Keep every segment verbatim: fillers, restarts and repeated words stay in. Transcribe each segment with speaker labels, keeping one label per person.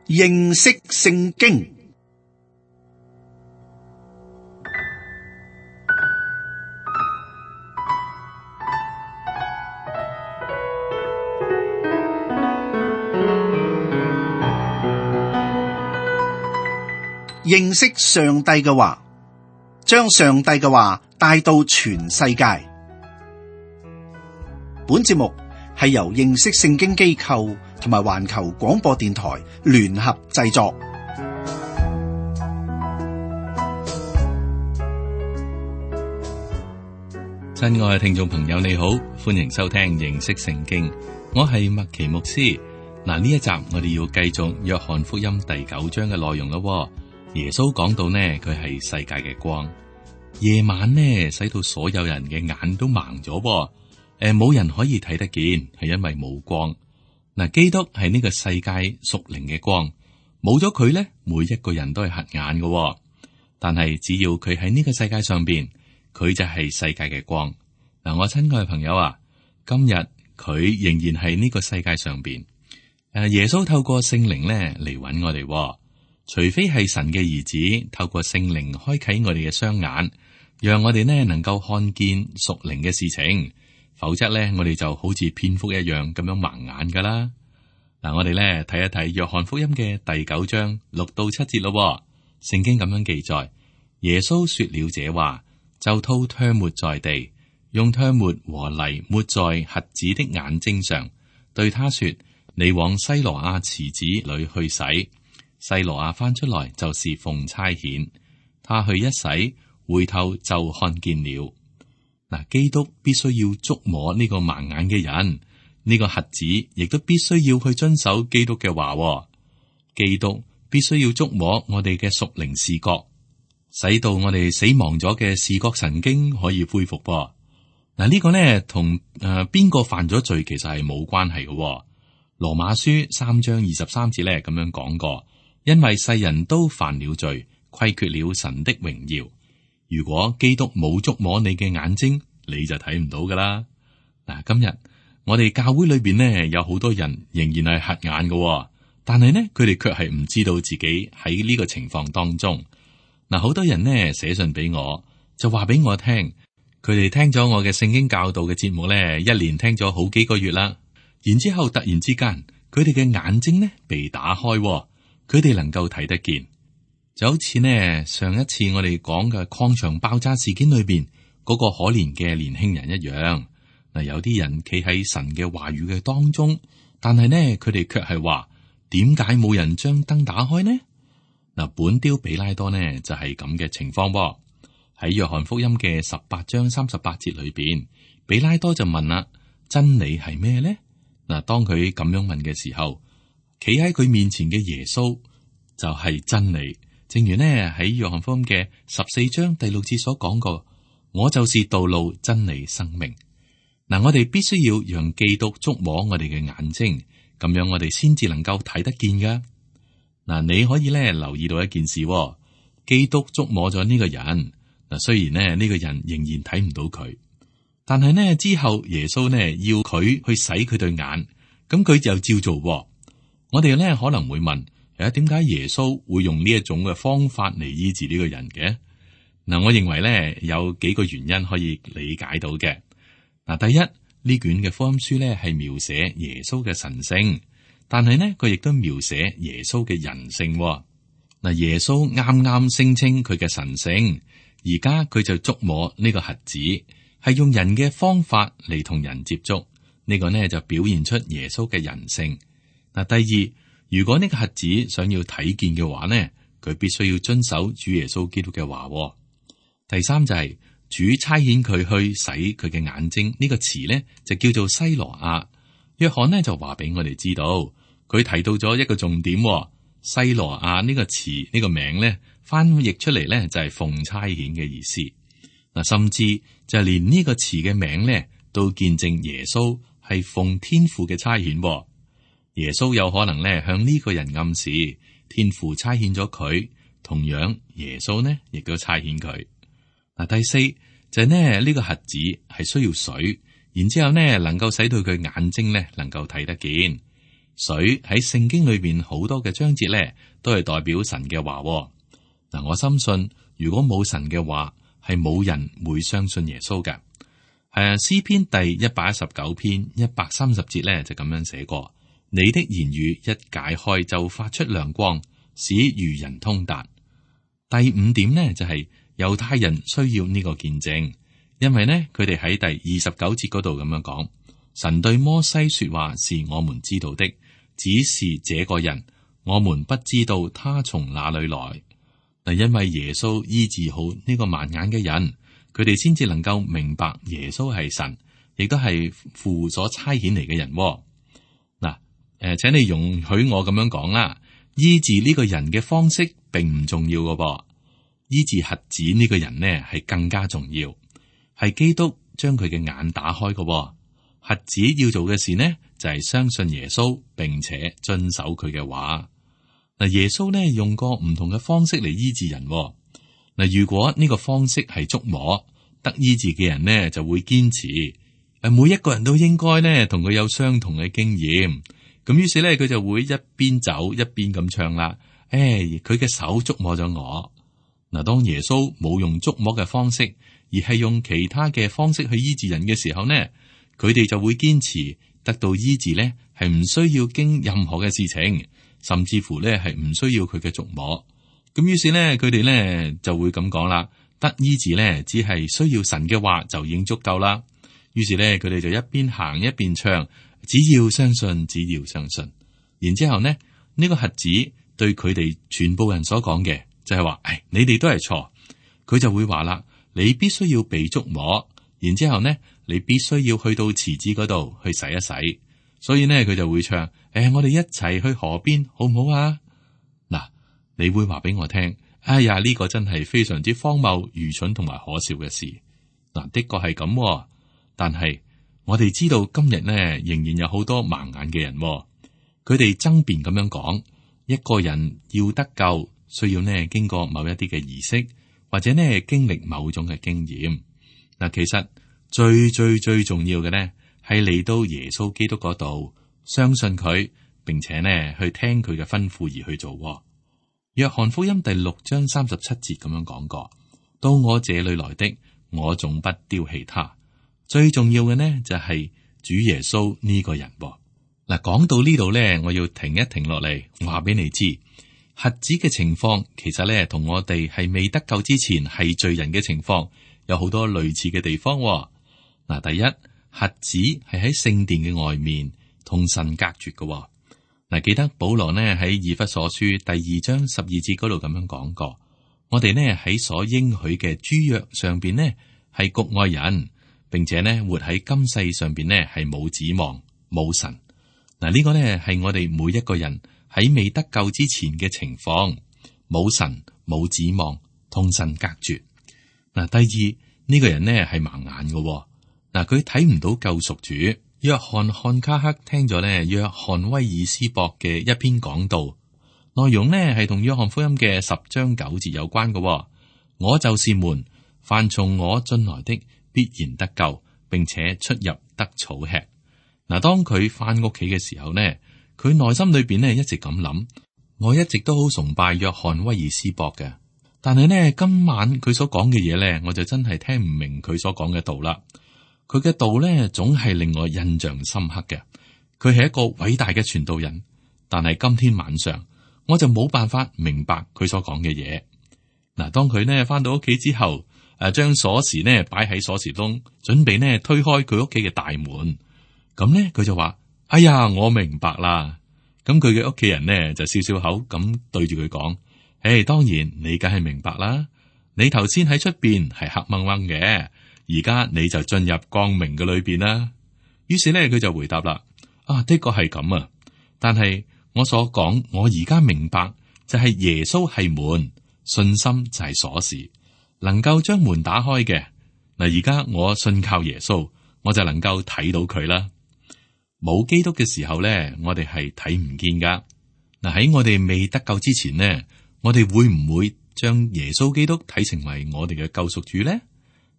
Speaker 1: 認識聖經。認識上帝嘅話，將上帝嘅話帶到全世界。本節目係由認識聖經機構同埋環球廣播電台聯合製作。
Speaker 2: 親愛嘅聽眾朋友，你好，歡迎收聽認識聖經。我係麥奇牧師。嗱，呢一集我哋要繼續約翰福音第九章嘅內容咯。耶穌講到呢，佢係世界嘅光。夜晚呢，使到所有人嘅眼都盲咗，誒，冇人可以睇得見，係因為冇光。嗱，基督係呢個世界屬靈嘅光，冇咗佢咧，每一個人都係瞎眼嘅。但係只要佢喺呢個世界上邊，佢就係世界嘅光。嗱，我親愛嘅朋友啊，今日佢仍然係呢個世界上邊。誒，耶穌透過聖靈咧嚟搵我哋。除非係神嘅兒子透過聖靈開啟我哋嘅雙眼，讓我哋呢能夠看見屬靈嘅事情，否則呢，我哋就好似蝙蝠一樣咁樣盲眼噶啦。嗱，我哋呢睇一睇約翰福音嘅第九章六到七節咯。聖經咁樣記載，耶穌說了這話，就吐唾沫在地，用唾沫和泥抹在瞎子的眼睛上，對他說：你往西羅亞池子裏去洗。西羅亞翻出來，就是奉差遣，他去一洗，回頭就看見了。嗱，基督必須要觸摸呢個盲眼嘅人，呢個瞎子亦都必須要去遵守基督嘅話。基督必須要觸摸我哋嘅屬靈視覺，使到我哋死亡咗嘅視覺神經可以恢復。嗱，呢個呢同誒邊個犯咗罪其實係冇關係嘅。羅馬書三章二十三節咧咁樣講過。因為世人都犯了罪，虧缺了神的榮耀。如果基督冇觸摸你嘅眼睛，你就睇唔到噶啦。嗱，今日我哋教會裏邊呢，有好多人仍然係瞎眼嘅，但係呢，佢哋卻係唔知道自己喺呢個情況當中。嗱，好多人呢寫信俾我，就話俾我聽，佢哋聽咗我嘅聖經教導嘅節目呢，一連聽咗好幾個月啦，然之後突然之間，佢哋嘅眼睛呢被打開。佢哋能夠睇得見，就好似呢上一次我哋講嘅礦場爆炸事件裏邊嗰個可憐嘅年輕人一樣。嗱，有啲人企喺神嘅話語嘅當中，但係呢佢哋卻係話：點解冇人將燈打開呢？嗱，本丟彼拉多呢就係咁嘅情況噃。喺約翰福音嘅十八章三十八節裏邊，彼拉多就問啦：真理係咩呢？嗱，當佢咁樣問嘅時候，企喺佢面前嘅耶穌就係真理，正如呢喺約翰福音嘅十四章第六節所講過，我就是道路、真理、生命。嗱，我哋必須要讓基督觸摸我哋嘅眼睛，咁樣我哋先至能夠睇得見噶。嗱，你可以咧留意到一件事，基督觸摸咗呢個人。嗱，雖然呢呢個人仍然睇唔到佢，但係呢之後耶穌呢要佢去洗佢對眼，咁佢就照做。我哋咧可能會問：誒，點解耶穌會用呢一種嘅方法嚟醫治呢個人嘅？嗱，我認為咧有幾個原因可以理解到嘅。嗱，第一，呢卷嘅福音書咧係描寫耶穌嘅神性，但係呢，佢亦都描寫耶穌嘅人性。嗱，耶穌啱啱聲稱佢嘅神性，而家佢就觸摸呢個瞎子，係用人嘅方法嚟同人接觸，呢個呢就表現出耶穌嘅人性。嗱，第二，如果呢個瞎子想要睇見嘅話呢，佢必須要遵守主耶穌基督嘅話。第三就係、是、主差遣佢去洗佢嘅眼睛，呢、這個詞呢就叫做西羅亞。約翰呢就話俾我哋知道，佢提到咗一個重點。西羅亞呢個詞呢、這個名呢翻譯出嚟呢就係奉差遣嘅意思。嗱，甚至就係連呢個詞嘅名呢都見證耶穌係奉天父嘅差遣。耶穌有可能咧向呢個人暗示，天父差遣咗佢，同樣耶穌呢亦都差遣佢。嗱，第四就係呢呢個瞎子係需要水，然之後呢能夠使到佢眼睛呢能夠睇得見。水喺聖經裏邊好多嘅章節咧，都係代表神嘅話。嗱，我深信如果冇神嘅話，係冇人會相信耶穌嘅。誒，詩篇第一百一十九篇一百三十節咧就咁樣寫過：你的言語一解開就發出亮光，使愚人通達。第五點呢，就係、是、猶太人需要呢個見證，因為呢，佢哋喺第二十九節嗰度咁樣講：神對摩西說話是我們知道的，只是這個人我們不知道他從哪裏來。嗱，因為耶穌醫治好呢個盲眼嘅人，佢哋先至能夠明白耶穌係神，亦都係父所差遣嚟嘅人。嗱，誒，請你容許我咁樣講啦，醫治呢個人嘅方式並唔重要嘅噃，醫治瞎子呢個人呢係更加重要，係基督將佢嘅眼打開嘅。瞎子要做嘅事呢，就係相信耶穌，並且遵守佢嘅話。嗱，耶穌呢用過唔同嘅方式嚟醫治人。嗱，如果呢個方式係觸摸，得醫治嘅人呢就會堅持。誒，每一個人都應該呢同佢有相同嘅經驗。咁於是呢，佢就會一邊走一邊咁唱啦。誒，佢嘅手觸摸咗我。嗱，當耶穌冇用觸摸嘅方式，而係用其他嘅方式去醫治人嘅時候呢，佢哋就會堅持得到醫治呢，係唔需要經任何嘅事情。甚至乎咧係唔需要佢嘅觸摸，咁於是咧佢哋咧就會咁講啦，得醫治咧只係需要神嘅話就已經足夠啦。於是咧佢哋就一邊行一邊唱，只要相信，只要相信。然之後呢，呢、呢個瞎子對佢哋全部人所講嘅就係話：誒，你哋都係錯。佢就會話啦，你必須要被觸摸，然之後呢，你必須要去到池子嗰度去洗一洗。所以呢，佢就會唱：誒、哎，我哋一齊去河邊，好唔好啊？嗱，你會話俾我聽，哎呀，呢、這個真係非常之荒謬、愚蠢同埋可笑嘅事。嗱，的確係咁，但係我哋知道今日呢，仍然有好多盲眼嘅人，佢哋爭辯咁樣講，一個人要得救，需要呢經過某一啲嘅儀式，或者呢經歷某種嘅經驗。嗱，其實最最最重要嘅呢，係嚟到耶穌基督嗰度，相信佢，並且呢去聽佢嘅吩咐而去做。約翰福音第六章三十七節咁樣講過：到我這裏來的，我總不丟棄他。最重要嘅呢就係主耶穌呢個人。嗱，講到呢度呢，我要停一停落嚟，話俾你知，瞎子嘅情況其實呢同我哋係未得救之前係罪人嘅情況有好多類似嘅地方。嗱，第一，瞎子係喺聖殿嘅外面同神隔絕嘅。嗱，記得保羅呢喺以弗所書第二章十二節嗰度咁樣講過，我哋呢喺所應許嘅諸約上邊呢係局外人，並且呢活喺今世上邊呢係冇指望冇神。嗱，呢個呢係我哋每一個人喺未得救之前嘅情況，冇神冇指望，同神隔絕。嗱，第二，呢個人呢係盲眼嘅。嗱，佢睇唔到救贖主。約翰漢卡克聽咗咧約翰威爾斯博嘅一篇講道，內容呢係同約翰福音嘅十章九節有關嘅。我就是門，凡從我進來的必然得救，並且出入得草吃。嗱，當佢翻屋企嘅時候呢，佢內心裏邊呢一直咁諗，我一直都好崇拜約翰威爾斯博嘅，但係呢，今晚佢所講嘅嘢呢，我就真係聽唔明佢所講嘅道啦。佢嘅道咧，總係令我印象深刻嘅。佢係一個偉大嘅傳道人，但係今天晚上我就冇辦法明白佢所講嘅嘢。嗱，當佢呢翻到屋企之後，誒，將鎖匙呢擺喺鎖匙窿，準備呢推開佢屋企嘅大門，咁呢，佢就話：哎呀，我明白啦。咁佢嘅屋企人呢就笑笑口咁對住佢講：誒，當然你梗係明白啦。你頭先喺出邊係黑掹掹嘅。而家你就進入光明嘅裏邊啦。於是咧，佢就回答啦：啊，的確係咁啊。但係我所講，我而家明白就係耶穌係門，信心就係鎖匙，能夠將門打開嘅。嗱，而家我信靠耶穌，我就能夠睇到佢啦。冇基督嘅時候咧，我哋係睇唔見噶。嗱，喺我哋未得救之前呢，我哋會唔會將耶穌基督睇成為我哋嘅救贖主咧？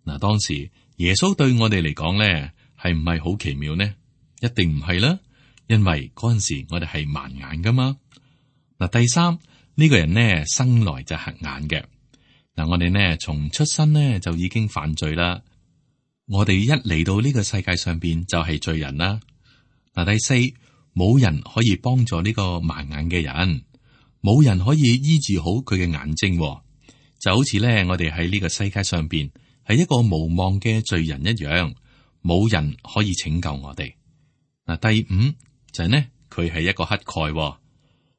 Speaker 2: 嗱，當時耶穌對我哋嚟講咧，係唔係好奇妙呢？一定唔係啦，因為嗰陣時我哋係盲眼噶嘛。嗱，第三呢個人呢，生來就瞎眼嘅。嗱，我哋呢從出生呢就已經犯罪啦。我哋一嚟到呢個世界上邊就係罪人啦。嗱，第四，冇人可以幫助呢個盲眼嘅人，冇人可以醫治好佢嘅眼睛，就好似咧我哋喺呢個世界上邊係一個無望嘅罪人一樣，冇人可以拯救我哋。嗱，第五就係呢，佢係一個乞丐，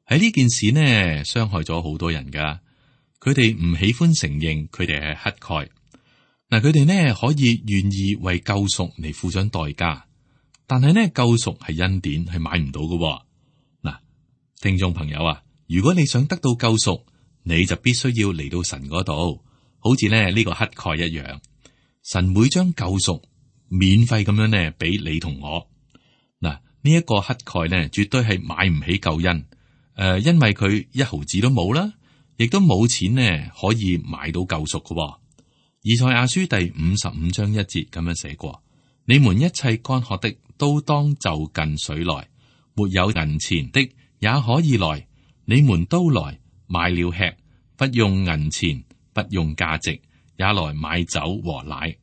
Speaker 2: 喺呢件事呢傷害咗好多人噶，佢哋唔喜歡承認佢哋係乞丐。嗱，佢哋呢可以願意為救贖嚟付上代價，但係呢救贖係恩典，係買唔到嘅。嗱，聽眾朋友啊，如果你想得到救贖，你就必須要嚟到神嗰度，好似呢呢個乞丐一樣，神會將救贖免費咁樣呢俾你同我。嗱，呢一個乞丐呢絕對係買唔起救恩，誒、呃，因為佢一毫子都冇啦，亦都冇錢呢可以買到救贖嘅。以賽亞書第五十五章一節咁樣寫過：你們一切乾渴的都當就近水來，沒有銀錢的也可以來，你們都來買了吃，不用銀錢，不用價值，也來買酒和奶。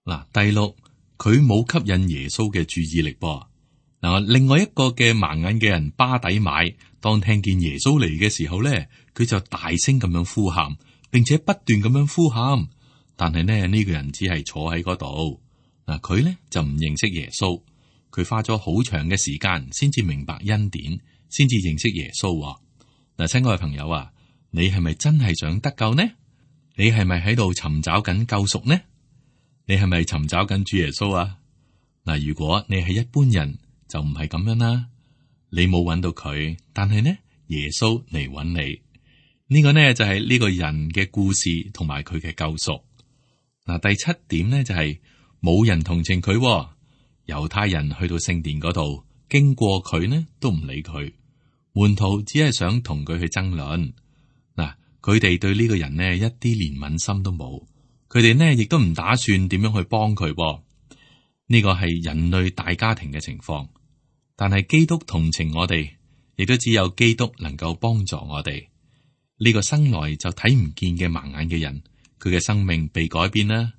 Speaker 2: 嗱，第六，佢冇吸引耶穌嘅注意力噃。嗱，另外一個嘅盲眼嘅人巴底買，當聽見耶穌嚟嘅時候咧，佢就大聲咁樣呼喊，並且不斷咁樣呼喊。但係呢，呢個人只係坐喺嗰度，嗱，佢咧就唔認識耶穌，佢花咗好長嘅時間先至明白恩典，先至認識耶穌。嗱，親愛嘅朋友啊，你係咪真係想得救呢？你係咪喺度尋找緊救贖呢？你係咪尋找緊主耶穌啊？嗱，如果你係一般人，就唔係咁樣啦。你冇揾到佢，但係呢，耶穌嚟揾你。呢個呢就係呢個人嘅故事同埋佢嘅救贖。嗱，第七點呢就係冇人同情佢。猶太人去到聖殿嗰度，經過佢呢都唔理佢。門徒只係想同佢去爭論。嗱，佢哋對呢個人呢一啲憐憫心都冇，佢哋呢亦都唔打算點樣去幫佢。呢個係人類大家庭嘅情況，但係基督同情我哋，亦都只有基督能夠幫助我哋。呢個生來就睇唔見嘅盲眼嘅人，佢嘅生命被改變啦。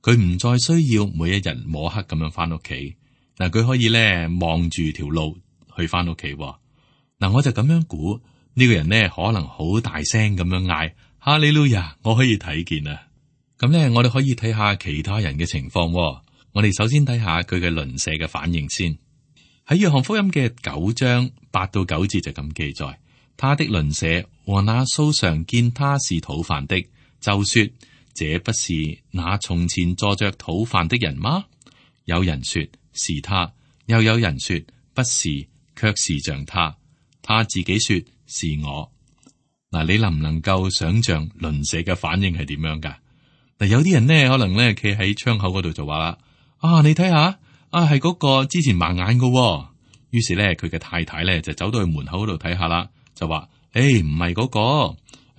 Speaker 2: 佢唔再需要每一日摸黑咁樣翻屋企，嗱，佢可以咧望住條路去翻屋企。嗱，我就咁樣估，呢個人呢可能好大聲咁樣嗌哈利路亞，我可以睇見啊。咁咧，我哋可以睇下其他人嘅情況。我哋首先睇下佢嘅鄰舍嘅反應先。喺約翰福音嘅九章八到九節就咁記載，他的鄰舍和那素常見他是討飯的，就說：這不是那從前坐着討飯的人嗎？有人說是他，又有人說不是，卻是像他。他自己說是我。嗱，你能唔能夠想象鄰舍嘅反應係點樣噶？嗱，有啲人呢，可能咧企喺窗口嗰度就話啦：啊，你睇下，啊係嗰個之前盲眼噶。於是咧，佢嘅太太咧就走到去門口嗰度睇下啦，就話：誒，唔係嗰個，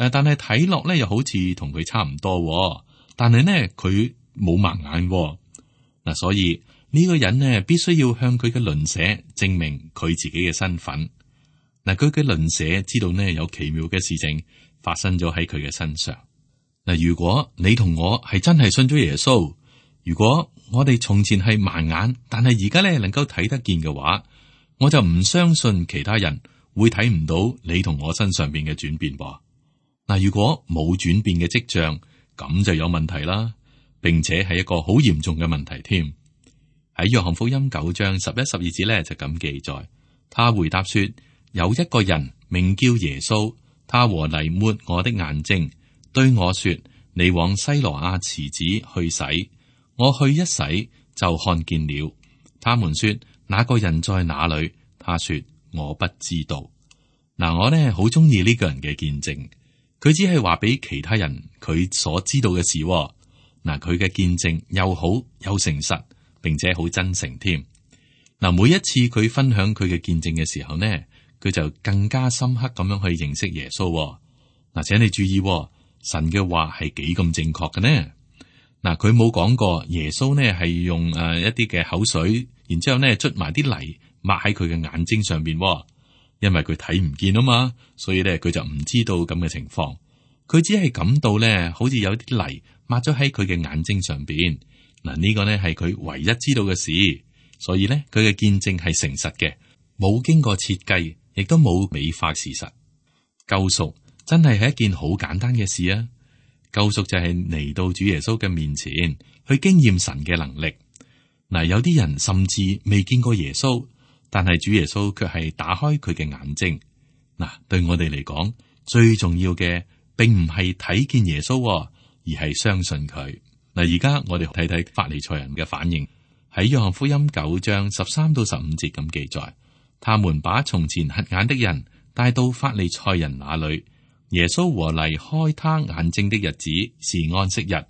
Speaker 2: 誒，但係睇落咧又好似同佢差唔多，但係呢，佢冇盲眼。嗱，所以呢個人呢，必須要向佢嘅鄰舍證明佢自己嘅身份。嗱，佢嘅鄰舍知道呢，有奇妙嘅事情發生咗喺佢嘅身上。嗱，如果你同我係真係信咗耶穌，如果我哋從前係盲眼，但係而家咧能夠睇得見嘅話，我就唔相信其他人會睇唔到你同我身上邊嘅轉變噃。嗱，如果冇轉變嘅跡象，咁就有問題啦，並且係一個好嚴重嘅問題添。喺約翰福音九章十一、十二節咧就咁記載，他回答說：有一個人名叫耶穌，他和泥抹我的眼睛，對我說：你往西羅亞池子去洗。我去一洗就看見了。他們說：那個人在哪裏？他說：我不知道。嗱，我呢好中意呢個人嘅見證，佢只係話俾其他人佢所知道嘅事。嗱，佢嘅見證又好又誠實，並且好真誠添。嗱，每一次佢分享佢嘅見證嘅時候呢，佢就更加深刻咁樣去認識耶穌。嗱，請你注意，神嘅話係幾咁正確嘅呢？嗱，佢冇講過耶穌呢係用誒一啲嘅口水，然之後呢捽埋啲泥抹喺佢嘅眼睛上邊，因為佢睇唔見啊嘛，所以咧佢就唔知道咁嘅情況。佢只係感到咧，好似有啲泥抹咗喺佢嘅眼睛上邊。嗱，呢個呢係佢唯一知道嘅事，所以咧佢嘅見證係誠實嘅，冇經過設計，亦都冇美化事實。救贖真係係一件好簡單嘅事啊！救贖就係嚟到主耶穌嘅面前，去經驗神嘅能力。嗱，有啲人甚至未見過耶穌，但係主耶穌卻係打開佢嘅眼睛。嗱，對我哋嚟講，最重要嘅並唔係睇見耶穌，而係相信佢。嗱，而家我哋睇睇法利賽人嘅反應，喺約翰福音九章十三到十五節咁記載，他們把從前瞎眼的人帶到法利賽人那裏。耶穌和嚟開他眼睛的日子是安息日，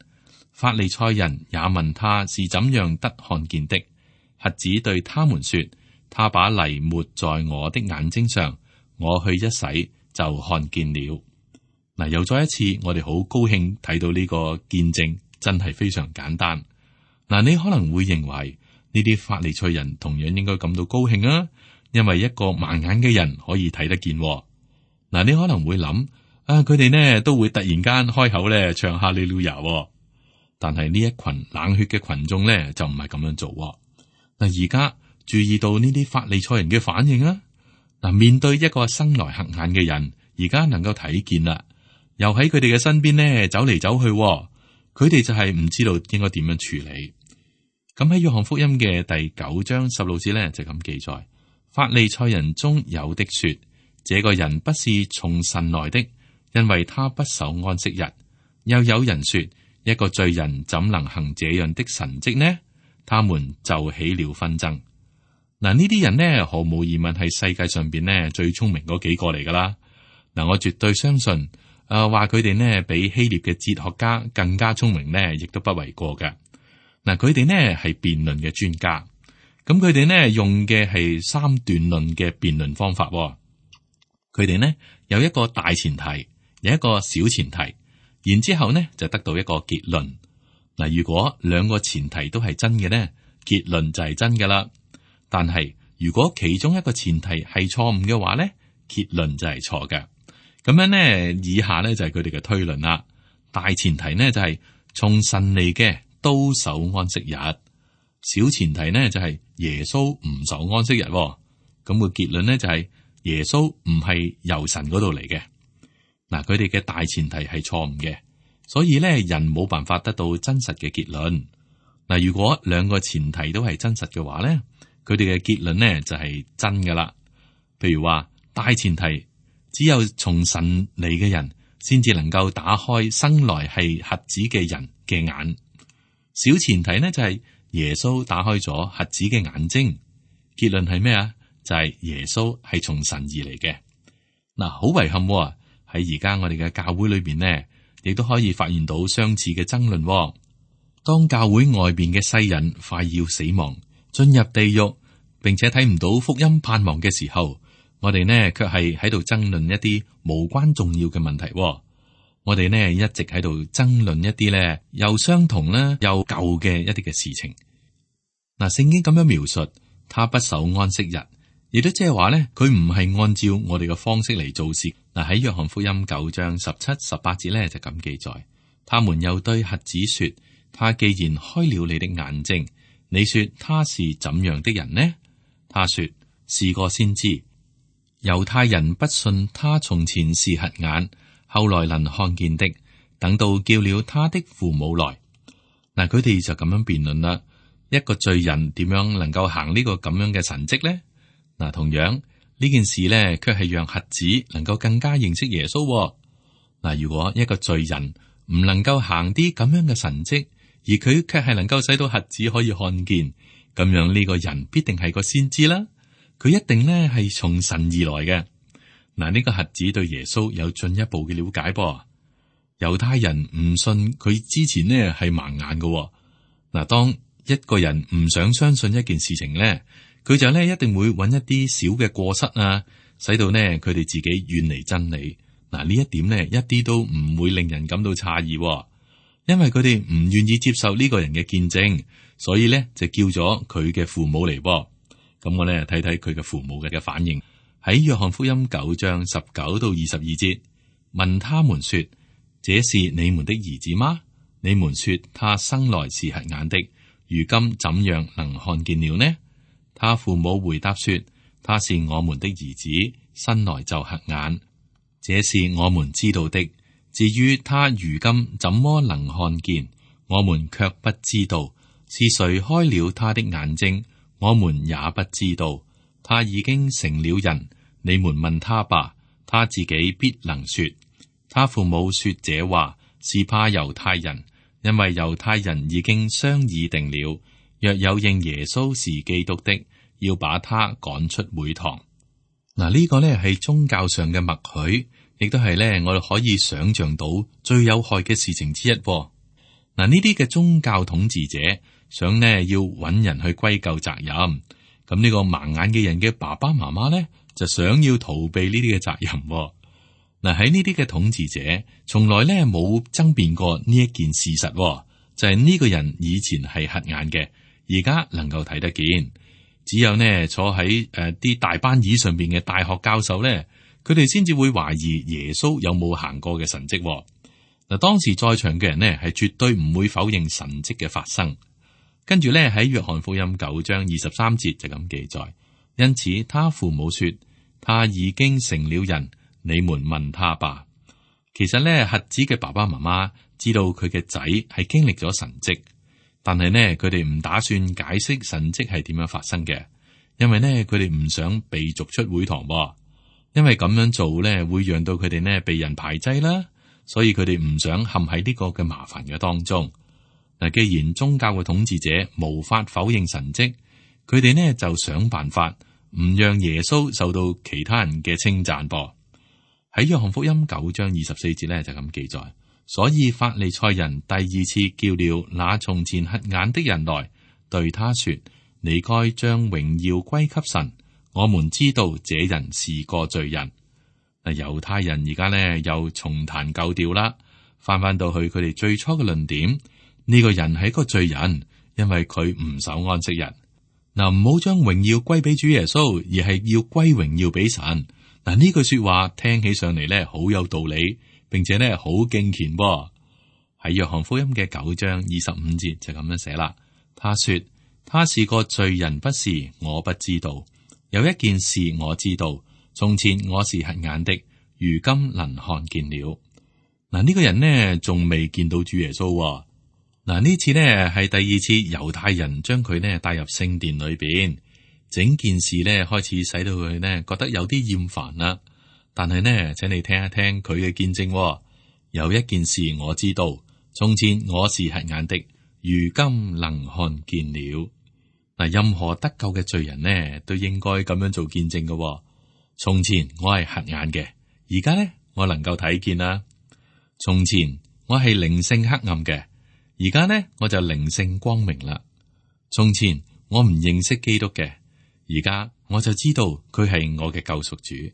Speaker 2: 法利賽人也問他是怎樣得看見的。瞎子對他們說：他把泥抹在我的眼睛上，我去一洗就看見了。嗱，又再一次，我哋好高興睇到呢個見證，真係非常簡單。嗱，你可能會認為呢啲法利賽人同樣應該感到高興啊，因為一個盲眼嘅人可以睇得見。嗱，你可能會諗啊，佢哋呢都會突然間開口咧唱哈利路亞，但係呢一群冷血嘅群眾咧就唔係咁樣做。嗱，而家注意到呢啲法利賽人嘅反應啊。嗱，面對一個生來瞎眼嘅人，而家能夠睇見啦，又喺佢哋嘅身邊呢走嚟走去，佢哋就係唔知道應該點樣處理。咁喺約翰福音嘅第九章十六節咧就咁記載：法利賽人中有的說，這個人不是從神來的，因為他不守安息日。又有人說，一個罪人怎能行這樣的神蹟呢？他們就起了紛爭。嗱，呢啲人呢，毫無疑問係世界上邊呢最聰明嗰幾個嚟噶啦。嗱，我絕對相信，誒話佢哋呢比希臘嘅哲學家更加聰明呢，亦都不為過嘅。嗱，佢哋呢係辯論嘅專家，咁佢哋呢用嘅係三段論嘅辯論方法。佢哋呢有一個大前提，有一個小前提，然之後呢就得到一個結論。嗱，如果兩個前提都係真嘅呢，結論就係真噶啦。但係如果其中一個前提係錯誤嘅話呢，結論就係錯嘅。咁樣呢，以下呢就係佢哋嘅推論啦。大前提呢就係從神嚟嘅都守安息日，小前提呢就係耶穌唔守安息日。咁個結論呢就係耶穌唔係由神嗰度嚟嘅。嗱，佢哋嘅大前提係錯誤嘅，所以呢人冇辦法得到真實嘅結論。嗱，如果兩個前提都係真實嘅話呢，佢哋嘅結論呢就係真噶啦。譬如話，大前提只有從神嚟嘅人先至能夠打開生來係瞎子嘅人嘅眼。小前提呢就係耶穌打開咗瞎子嘅眼睛。結論係咩啊？就係耶穌係從神而嚟嘅。嗱，好遺憾喺而家我哋嘅教會裏邊呢，亦都可以發現到相似嘅爭論。當教會外邊嘅世人快要死亡，進入地獄，並且睇唔到福音盼望嘅時候，我哋呢卻係喺度爭論一啲無關重要嘅問題。我哋呢一直喺度爭論一啲呢又相同啦又舊嘅一啲嘅事情。嗱，聖經咁樣描述，他不守安息日，亦都即係話呢，佢唔係按照我哋嘅方式嚟做事。嗱，喺約翰福音九章十七、十八節呢就咁記載，他們又對瞎子說：他既然開了你的眼睛，你說他是怎樣的人呢？他說是個先知。猶太人不信他從前是瞎眼，後來能看見的，等到叫了他的父母來。嗱，佢哋就咁樣辯論啦。一個罪人點樣能夠行呢個咁樣嘅神蹟呢？嗱，同樣呢件事呢，卻係讓瞎子能夠更加認識耶穌。嗱，如果一個罪人唔能夠行啲咁樣嘅神蹟，而佢卻係能夠使到瞎子可以看見，咁樣呢個人必定係個先知啦。佢一定呢係從神而來嘅。嗱，呢個瞎子對耶穌有進一步嘅了解噃。猶太人唔信佢之前呢係盲眼嘅。嗱，當一個人唔想相信一件事情呢，佢就呢一定會揾一啲小嘅過失啊，使到呢佢哋自己遠離真理。嗱，呢一點呢一啲都唔會令人感到詫異，因為佢哋唔願意接受呢個人嘅見證，所以呢就叫咗佢嘅父母嚟噃。咁我咧睇睇佢嘅父母嘅嘅反應。喺約翰福音九章十九到二十二節，問他們說：這是你們的兒子嗎？你們說他生來是瞎眼的，如今怎樣能看見了呢？他父母回答說：他是我們的兒子，生來就瞎眼，這是我們知道的。至於他如今怎麼能看見，我們卻不知道。是誰開了他的眼睛，我們也不知道。他已經成了人，你們問他吧，他自己必能說。他父母說這話是怕猶太人，因為猶太人已經商議定了，若有認耶穌是基督的，要把他趕出會堂。嗱，呢個呢係宗教上嘅默許，亦都係呢我哋可以想象到最有害嘅事情之一。嗱，呢啲嘅宗教統治者想呢要揾人去歸咎責任，咁呢個盲眼嘅人嘅爸爸媽媽呢就想要逃避呢啲嘅責任。嗱，喺呢啲嘅統治者從來呢冇爭辯過呢一件事實，就係呢個人以前係瞎眼嘅，而家能夠睇得見。只有呢坐喺誒啲大班椅上邊嘅大學教授呢，佢哋先至會懷疑耶穌有冇行過嘅神蹟。嗱，當時在場嘅人呢係絕對唔會否認神蹟嘅發生。跟住呢喺約翰福音九章二十三節就咁記載，因此他父母說他已經成了人，你們問他吧。其實呢，瞎子嘅爸爸媽媽知道佢嘅仔係經歷咗神蹟，但係呢，佢哋唔打算解釋神蹟係點樣發生嘅，因為呢，佢哋唔想被逐出會堂，因為咁樣做呢會讓到佢哋呢被人排擠啦，所以佢哋唔想陷喺呢個嘅麻煩嘅當中。嗱，既然宗教嘅統治者無法否認神蹟，佢哋呢就想辦法唔讓耶穌受到其他人嘅稱讚噃。喺約翰福音九章二十四節呢就咁記載，所以法利賽人第二次叫了那從前瞎眼的人來，對他說：你該將榮耀歸給神，我們知道這人是個罪人。嗱，猶太人而家呢又重彈舊調啦，翻翻到去佢哋最初嘅論點。呢個人係一個罪人，因為佢唔守安息日。嗱，唔好將榮耀歸俾主耶穌，而係要歸榮耀俾神。嗱，呢句說話聽起上嚟咧，好有道理，並且咧好敬虔噃。喺約翰福音嘅九章二十五節就咁樣寫啦。他說：他是個罪人，不是，我不知道。有一件事我知道，從前我是瞎眼的，如今能看見了。嗱，呢個人呢仲未見到主耶穌。嗱，呢次呢係第二次猶太人將佢呢帶入聖殿裏邊，整件事呢開始使到佢呢覺得有啲厭煩啦。但係呢，請你聽一聽佢嘅見證。有一件事我知道，從前我是瞎眼的，如今能看見了。嗱，任何得救嘅罪人呢都應該咁樣做見證嘅。從前我係瞎眼嘅，而家呢我能夠睇見啦。從前我係靈性黑暗嘅。而家呢，我就靈性光明啦。從前我唔認識基督嘅，而家我就知道佢係我嘅救贖主。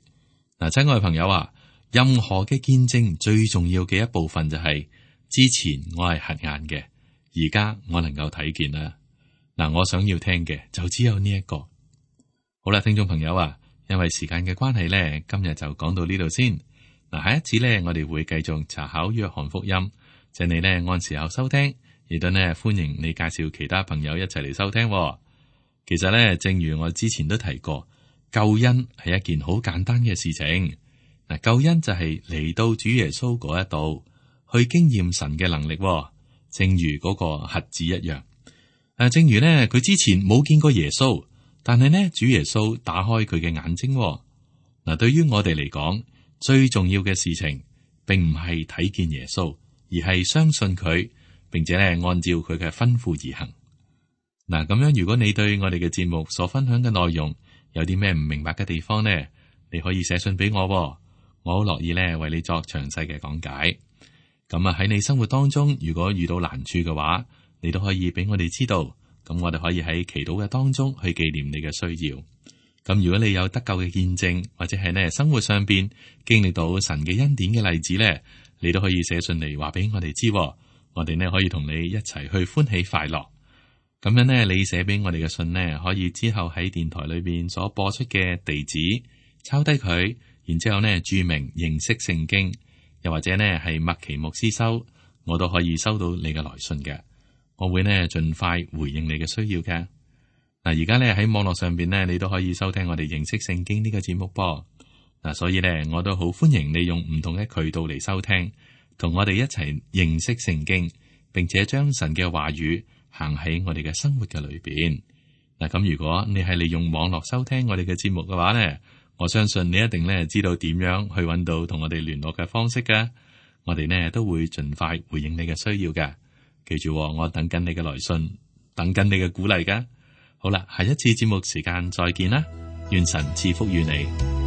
Speaker 2: 嗱，親愛嘅朋友啊，任何嘅見證最重要嘅一部分就係、是、之前我係瞎眼嘅，而家我能夠睇見啦。嗱，我想要聽嘅就只有呢一個。好啦，聽眾朋友啊，因為時間嘅關係咧，今日就講到呢度先。嗱，下一次咧，我哋會繼續查考約翰福音。請你呢按時候收聽，亦都呢歡迎你介紹其他朋友一齊嚟收聽。其實呢，正如我之前都提過，救恩係一件好簡單嘅事情。嗱，救恩就係嚟到主耶穌嗰一度去經驗神嘅能力，正如嗰個瞎子一樣。誒，正如呢，佢之前冇見過耶穌，但係呢，主耶穌打開佢嘅眼睛。嗱，對於我哋嚟講，最重要嘅事情，並唔係睇見耶穌，而係相信佢，並且咧按照佢嘅吩咐而行。嗱，咁樣如果你對我哋嘅節目所分享嘅內容有啲咩唔明白嘅地方呢，你可以寫信俾我，我好樂意咧為你作詳細嘅講解。咁啊喺你生活當中，如果遇到難處嘅話，你都可以俾我哋知道，咁我哋可以喺祈禱嘅當中去紀念你嘅需要。咁如果你有得救嘅見證，或者係呢生活上邊經歷到神嘅恩典嘅例子咧，你都可以寫信嚟話俾我哋知，我哋呢可以同你一齊去歡喜快樂。咁樣呢，你寫俾我哋嘅信呢，可以之後喺電台裏邊所播出嘅地址抄低佢，然之後呢注明認識聖經，又或者呢係麥奇牧師收，我都可以收到你嘅來信嘅。我會呢盡快回應你嘅需要嘅。嗱，而家呢喺網絡上邊呢，你都可以收聽我哋認識聖經呢個節目噃。嗱，所以呢，我都好歡迎你用唔同嘅渠道嚟收聽，同我哋一齊認識聖經，並且將神嘅話語行喺我哋嘅生活嘅裏邊。嗱，咁如果你係利用網絡收聽我哋嘅節目嘅話呢，我相信你一定咧知道點樣去揾到同我哋聯絡嘅方式噶。我哋呢都會盡快回應你嘅需要噶。記住，我等緊你嘅來信，等緊你嘅鼓勵噶。好啦，下一次節目時間再見啦，願神賜福於你。